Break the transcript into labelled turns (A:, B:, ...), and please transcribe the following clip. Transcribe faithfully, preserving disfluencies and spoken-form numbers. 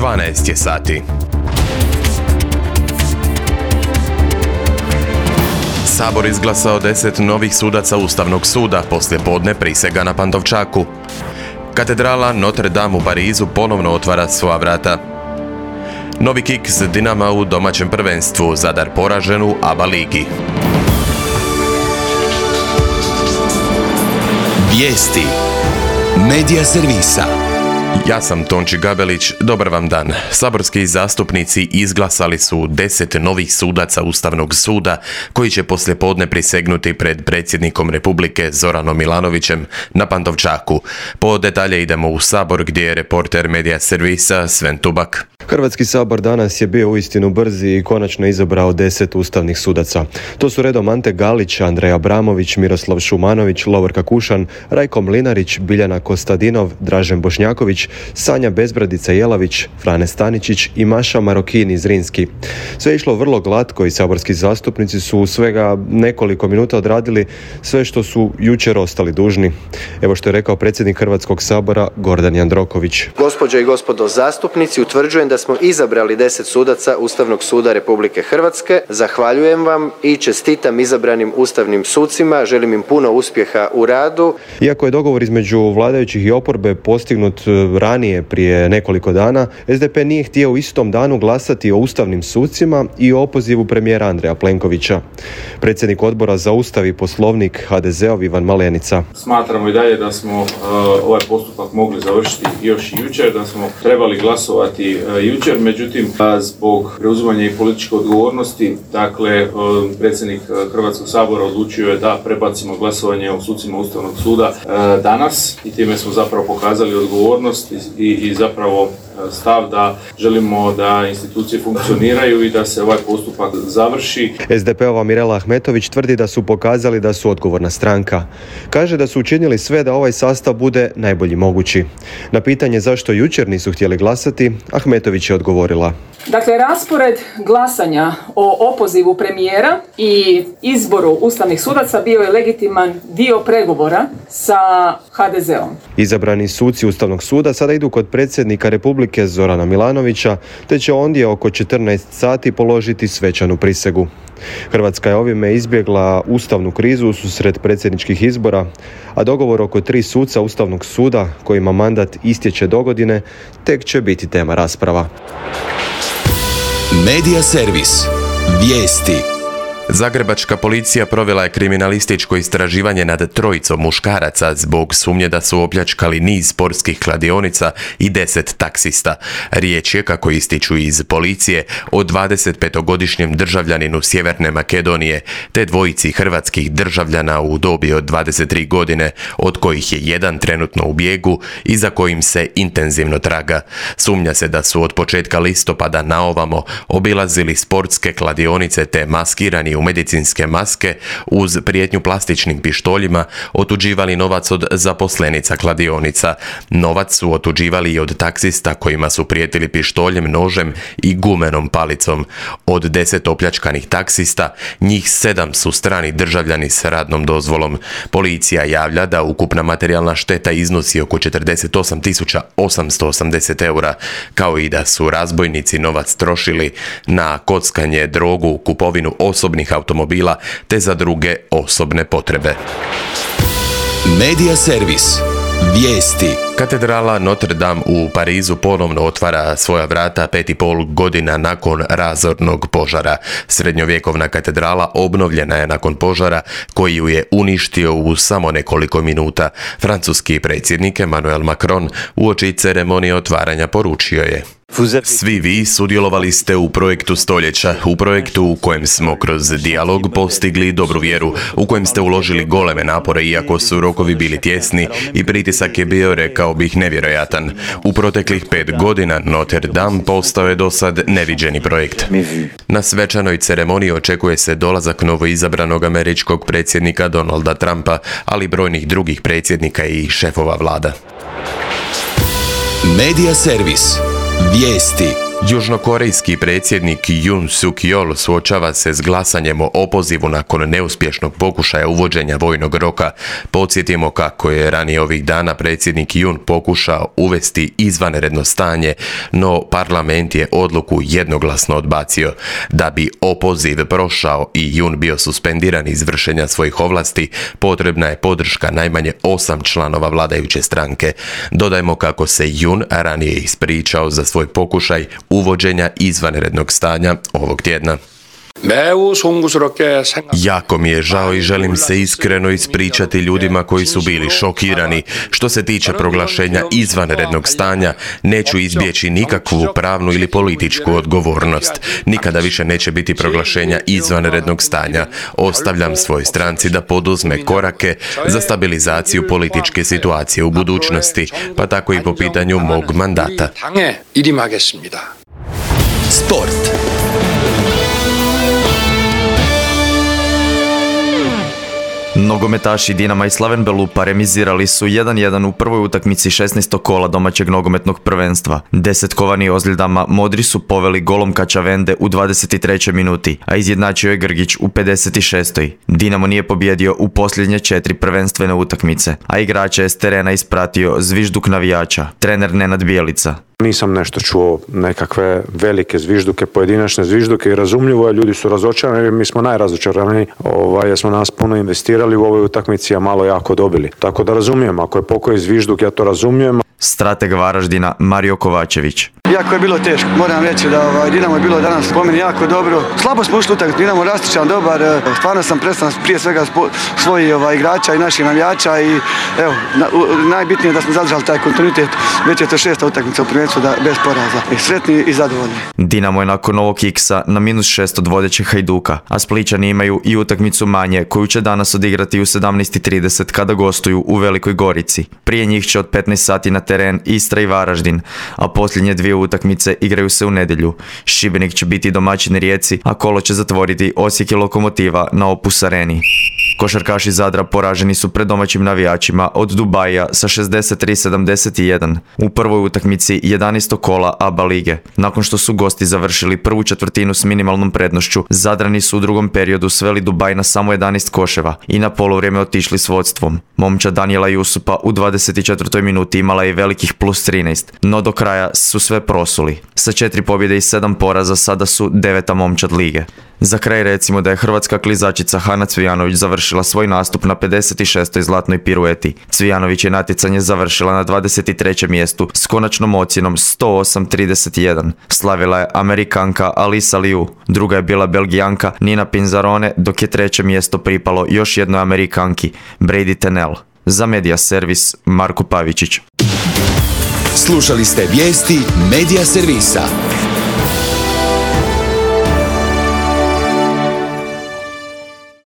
A: dvanaest je sati. Sabor izglasao deset novih sudaca Ustavnog suda, poslijepodne prisega na Pantovčaku. Katedrala Notre Dame u Parizu ponovno otvara svoja vrata. Novi kiks Dinama u domaćem prvenstvu, Zadar poražen u A B A ligi.
B: Vijesti Medija servisa.
A: Ja sam Tonči Gabelić, dobar vam dan. Saborski zastupnici izglasali su deset novih sudaca Ustavnog suda koji će poslijepodne prisegnuti pred predsjednikom Republike Zoranom Milanovićem na Pantovčaku. Po detalje idemo u Sabor gdje je reporter Medija servisa Sven Tubak.
C: Hrvatski sabor danas je bio uistinu brzi i konačno izabrao deset ustavnih sudaca. To su redom Ante Galić, Andrej Abramović, Miroslav Šumanović, Lovorka Kušan, Rajko Mlinarić, Biljana Kostadinov, Dražen Bošnjaković, Sanja Bezbradica Jelavić, Frane Staničić i Maša Marokini Zrinski. Sve je išlo vrlo glatko i saborski zastupnici su u svega nekoliko minuta odradili sve što su jučer ostali dužni. Evo što je rekao predsjednik Hrvatskog sabora Gordan Jandroković.
D: Gospođe i gospodo zastupnici, utvrđujem da smo izabrali deset sudaca Ustavnog suda Republike Hrvatske. Zahvaljujem vam i čestitam izabranim ustavnim sucima. Želim im puno uspjeha u radu.
C: Iako je dogovor između vladajućih i oporbe postignut ranije prije nekoliko dana, S D P nije htio u istom danu glasati o ustavnim sucima i o opozivu premijera Andreja Plenkovića. Predsjednik odbora za Ustav i Poslovnik H D Z-ov Ivan Malenica.
E: Smatramo i dalje da smo uh, ovaj postupak mogli završiti još i jučer, da smo trebali glasovati uh, jučer, međutim zbog preuzimanja i političke odgovornosti, dakle uh, predsjednik Hrvatskog sabora odlučio je da prebacimo glasovanje o sucima Ustavnog suda uh, danas i time smo zapravo pokazali odgovornost i, i zapravo stav da želimo da institucije funkcioniraju i da se ovaj postupak završi.
C: S D P-ova Mirela Ahmetović tvrdi da su pokazali da su odgovorna stranka. Kaže da su učinili sve da ovaj sastav bude najbolji mogući. Na pitanje zašto jučer nisu htjeli glasati, Ahmetović je odgovorila.
F: Dakle, raspored glasanja o opozivu premijera i izboru ustavnih sudaca bio je legitiman dio pregovora sa H D Z-om.
C: Izabrani suci Ustavnog suda sada idu kod predsjednika Republike Zorana Milanovića, te će ondje oko četrnaest sati položiti svečanu prisegu. Hrvatska je ovime izbjegla ustavnu krizu ususret predsjedničkih izbora, a dogovor oko tri suca Ustavnog suda kojima mandat istječe dogodine tek će biti tema rasprava.
B: Medija servis. Vijesti.
A: Zagrebačka policija provela je kriminalističko istraživanje nad trojicom muškaraca zbog sumnje da su opljačkali niz sportskih kladionica i deset taksista. Riječ je, kako ističu iz policije, o dvadesetpetogodišnjem državljaninu Sjeverne Makedonije te dvojici hrvatskih državljana u dobi od dvadeset tri godine, od kojih je jedan trenutno u bijegu i za kojim se intenzivno traga. Sumnja se da su od početka listopada na ovamo obilazili sportske kladionice te maskirani u medicinske maske uz prijetnju plastičnim pištoljima otuđivali novac od zaposlenica kladionica. Novac su otuđivali i od taksista kojima su prijetili pištoljem, nožem i gumenom palicom. Od deset opljačkanih taksista, njih sedam su strani državljani s radnom dozvolom. Policija javlja da ukupna materijalna šteta iznosi oko četrdeset osam tisuća osamsto osamdeset eura, kao i da su razbojnici novac trošili na kockanje, drogu, kupovinu osobnih automobila te za druge osobne potrebe.
B: Medija servis. Vijesti.
A: Katedrala Notre Dame u Parizu ponovno otvara svoja vrata pet i pol godina nakon razornog požara. Srednjovjekovna katedrala obnovljena je nakon požara koji ju je uništio u samo nekoliko minuta. Francuski predsjednik Emmanuel Macron uoči ceremonije otvaranja poručio je: Svi vi sudjelovali ste u projektu stoljeća, u projektu u kojem smo kroz dijalog postigli dobru vjeru, u kojem ste uložili goleme napore iako su rokovi bili tjesni i pritisak je bio, rekao bih, nevjerojatan. U proteklih pet godina Notre Dame postao je do sad neviđeni projekt. Na svečanoj ceremoniji očekuje se dolazak novoizabranog američkog predsjednika Donalda Trumpa, ali brojnih drugih predsjednika i šefova vlada.
B: Medija servis. Vijesti.
A: Južnokorejski predsjednik Yoon Suk Yeol suočava se s glasanjem o opozivu nakon neuspješnog pokušaja uvođenja vojnog roka. Podsjetimo kako je ranije ovih dana predsjednik Yoon pokušao uvesti izvanredno stanje, no parlament je odluku jednoglasno odbacio. Da bi opoziv prošao i Yoon bio suspendiran iz vršenja svojih ovlasti, potrebna je podrška najmanje osam članova vladajuće stranke. Dodajmo kako se Yoon ranije ispričao za svoj pokušaj uvođenja izvanrednog stanja ovog tjedna. Jako mi je žao i želim se iskreno ispričati ljudima koji su bili šokirani. Što se tiče proglašenja izvanrednog stanja, neću izbjeći nikakvu pravnu ili političku odgovornost. Nikada više neće biti proglašenja izvanrednog stanja. Ostavljam svojoj stranci da poduzme korake za stabilizaciju političke situacije u budućnosti, pa tako i po pitanju mog mandata.
B: Sport.
G: Nogometaši Dinama i Slaven Belupa remizirali su jedan jedan u prvoj utakmici šesnaestog kola domaćeg nogometnog prvenstva. Desetkovani ozljedama Modri su poveli golom Kačavende u dvadeset trećoj minuti, a izjednačio je Grgić u pedeset šestoj Dinamo nije pobjedio u posljednje četiri prvenstvene utakmice, a igrače je s terena ispratio zvižduk navijača, trener Nenad Bjelica.
H: Nisam nešto čuo nekakve velike zvižduke, pojedinačne zvižduke i razumljivo je, ljudi su razočarani, mi smo najrazočaraniji ovaj, jer smo nas puno investirali u ovoj utakmici, a malo jako dobili. Tako da razumijem, ako je pokoji zvižduk, ja to razumijem.
G: Strateg Varaždina Mario Kovačević.
I: Jako je bilo teško, moram reći da ovaj, Dinamo je bilo danas po meni jako dobro. Slabo smo ušli utakmicu, Dinamo rastičan, dobar, stvarno sam prestan prije svega svojih ovaj, igrača i naših navijača i evo, na, u, najbitnije je da smo zadržali taj kontinuitet, već je to šesta utakmica u prvenstvu da bez poraza. I sretni i zadovoljni.
G: Dinamo je nakon ovog iksa na minus šest od vodećeg Hajduka, a Splićani imaju i utakmicu manje koju će danas odigrati u sedamnaest i trideset kada gostuju u Velikoj Gorici. Prije njih će od petnaest sati na teren Istra i Varaždin, a posljednje dvije utakmice igraju se u nedjelju. Šibenik će biti domaćin Rijeci, a kolo će zatvoriti Osijek i Lokomotiva na Opus Areni. Košarkaši Zadra poraženi su pred domaćim navijačima od Dubaija sa šezdeset tri sedamdeset jedan u prvoj utakmici jedanaestog kola A B A lige. Nakon što su gosti završili prvu četvrtinu s minimalnom prednošću, Zadrani su u drugom periodu sveli Dubaj na samo jedanaest koševa i na poluvrijeme otišli s vodstvom. Momčad Danijela Jusupa u dvadeset četvrtoj minuti imala je velikih plus trinaest, no do kraja su sve prosuli. Sa četiri pobjede i sedam poraza sada su deveta momčad lige. Za kraj recimo da je hrvatska klizačica Hana Cvijanović završila svoj nastup na pedeset šestoj zlatnoj pirueti. Cvijanović je natjecanje završila na dvadeset trećem mjestu s konačnom ocjenom sto osam trideset jedan. Slavila je Amerikanka Alisa Liu, druga je bila Belgijanka Nina Pinzarone, dok je treće mjesto pripalo još jednoj Amerikanki, Brady Tenell. Za Media Servis Marko Pavičić.
B: Slušali ste vijesti Media Servisa.